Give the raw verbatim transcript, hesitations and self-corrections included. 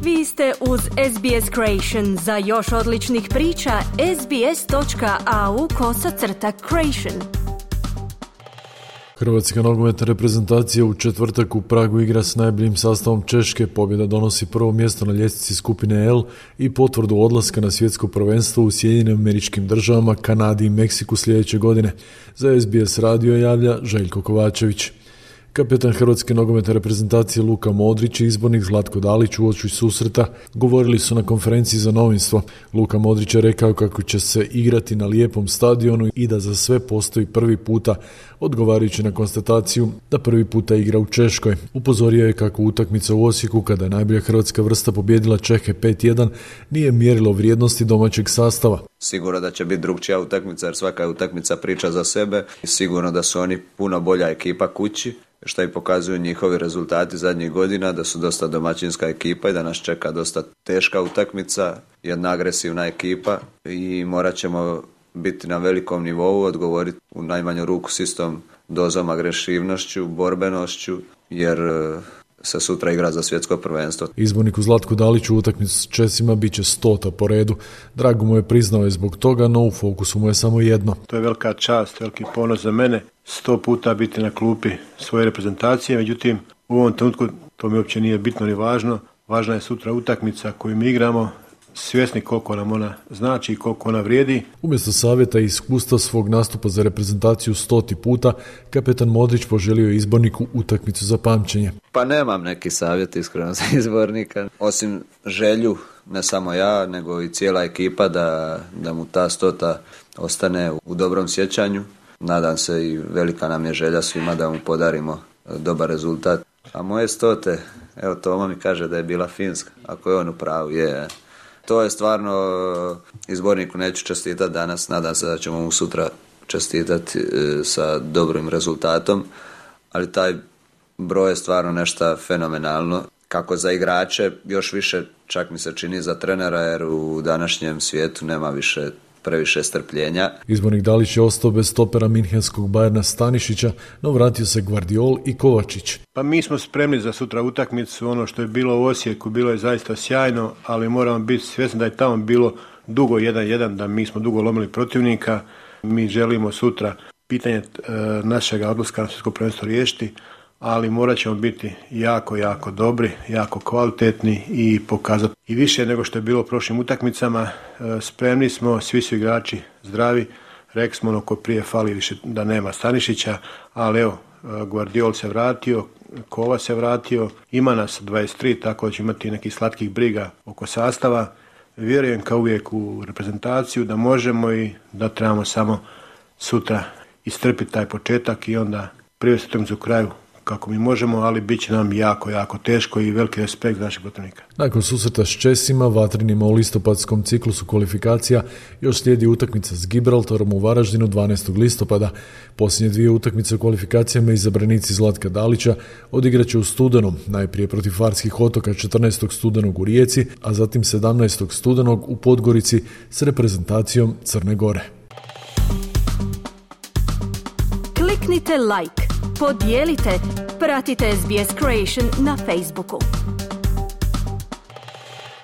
Vi ste uz S B S Creation. Za još odličnih priča, sbs.au kosacrta creation. Hrvatska nogometna reprezentacija u četvrtak u Pragu igra s najboljim sastavom Češke. Pobjeda donosi prvo mjesto na ljestvici skupine L i potvrdu odlaska na svjetsko prvenstvo u Sjedinjenim Američkim Državama, Kanadi i Meksiku sljedeće godine. Za S B S radio javlja Željko Kovačević. Kapetan Hrvatske nogometne reprezentacije Luka Modrić i izbornik Zlatko Dalić uoči susreta govorili su na konferenciji za novinstvo. Luka Modrić je rekao kako će se igrati na lijepom stadionu i da za sve postoji prvi puta, odgovarajući na konstataciju da prvi puta igra u Češkoj. Upozorio je kako utakmica u Osijeku, kada je najbolja hrvatska vrsta pobijedila Čehe pet jedan, nije mjerilo vrijednosti domaćeg sastava. Sigurno da će biti drugčija utakmica, jer svaka je utakmica priča za sebe. Sigurno da su oni puno bolja ekipa kući, što i pokazuju njihovi rezultati zadnjih godina, da su dosta domaćinska ekipa i da nas čeka dosta teška utakmica, jedna agresivna ekipa i morat ćemo biti na velikom nivou, odgovoriti u najmanju ruku s istom dozom agresivnošću, borbenošću, jer se sutra igra za svjetsko prvenstvo. Izborniku Zlatku Daliću utakmicu s Česima bit će stota po redu. Drago mu je priznao je zbog toga, no u fokusu mu je samo jedno. To je velika čast, veliki ponos za mene. Sto puta biti na klupi svoje reprezentacije, međutim u ovom trenutku to mi uopće nije bitno ni važno. Važna je sutra utakmica koju mi igramo, svjesni koliko nam ona znači i koliko ona vrijedi. Umjesto savjeta i iskustva svog nastupa za reprezentaciju stoti puta, kapetan Modrić poželio izborniku utakmicu za pamćenje. Pa nemam neki savjet iskreno za izbornika, osim želju, ne samo ja, nego i cijela ekipa da, da mu ta stota ostane u dobrom sjećanju. Nadam se i velika nam je želja svima da mu podarimo dobar rezultat. A moje stote, evo Toma mi kaže da je bila Finska, ako je on u pravu, je. To je stvarno, izborniku neću čestitati danas, nadam se da ćemo mu sutra čestitati sa dobrim rezultatom, ali taj broj je stvarno nešto fenomenalno. Kako za igrače, još više čak mi se čini za trenera, jer u današnjem svijetu nema više previše strpljenja. Izbornik Dalić je ostao bez stopera minhenskog Bayerna Stanišića, no vratio se Gvardiol i Kovačić. Pa mi smo spremni za sutra utakmicu, ono što je bilo u Osijeku bilo je zaista sjajno, ali moramo biti svjesni da je tamo bilo dugo jedan jedan, da mi smo dugo lomili protivnika. Mi želimo sutra pitanje e, našega odlaska na svjetsko prvenstvo riješiti, ali morat ćemo biti jako, jako dobri, jako kvalitetni i pokazati i više nego što je bilo u prošlim utakmicama. Spremni smo, svi su igrači zdravi, rekli smo ono ko prije fali više da nema Stanišića, ali evo, Gvardiol se vratio, Kova se vratio, ima nas dvadeset tri, tako da će imati nekih slatkih briga oko sastava. Vjerujem kao uvijek u reprezentaciju da možemo i da trebamo samo sutra istrpiti taj početak i onda privesti utakmicu u kraju kako mi možemo, ali bit će nam jako, jako teško i veliki respekt za naših protivnika. Nakon susreta s Česima, vatrenima u listopadskom ciklusu kvalifikacija, još slijedi utakmica s Gibraltarom u Varaždinu dvanaestog listopada. Posljednje dvije utakmice u kvalifikacijama izabranici Zlatka Dalića odigraće u studenom, najprije protiv Farskih otoka četrnaestog studenog u Rijeci, a zatim sedamnaestog studenog u Podgorici s reprezentacijom Crne Gore. Kliknite like, podijelite, pratite S B S Creation na Facebooku.